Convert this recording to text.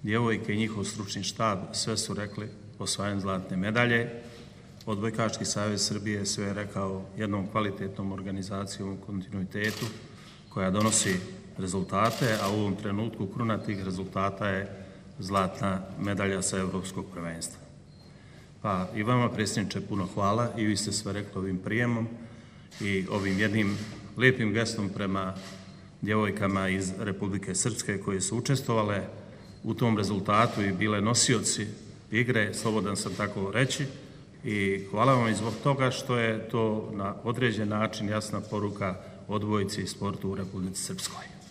djevojke i njihov stručni štab sve su rekli osvajanjem zlatne medalje. Odbojkaški savez Srbije sve je rekao jednom kvalitetnom organizacijom u kontinuitetu koja donosi rezultate, a u ovom trenutku kruna tih rezultata je zlatna medalja sa Evropskog prvenstva. Pa i vama, predsjedniče, puno hvala i vi ste sve rekli ovim prijemom i ovim jednim lijepim gestom prema djevojkama iz Republike Srpske koje su učestvovale u tom rezultatu i bile nosioci igre, slobodan sam tako reći, i hvala vam i zbog toga što je to na određen način jasna poruka odbojci i sportu u Republici Srpskoj.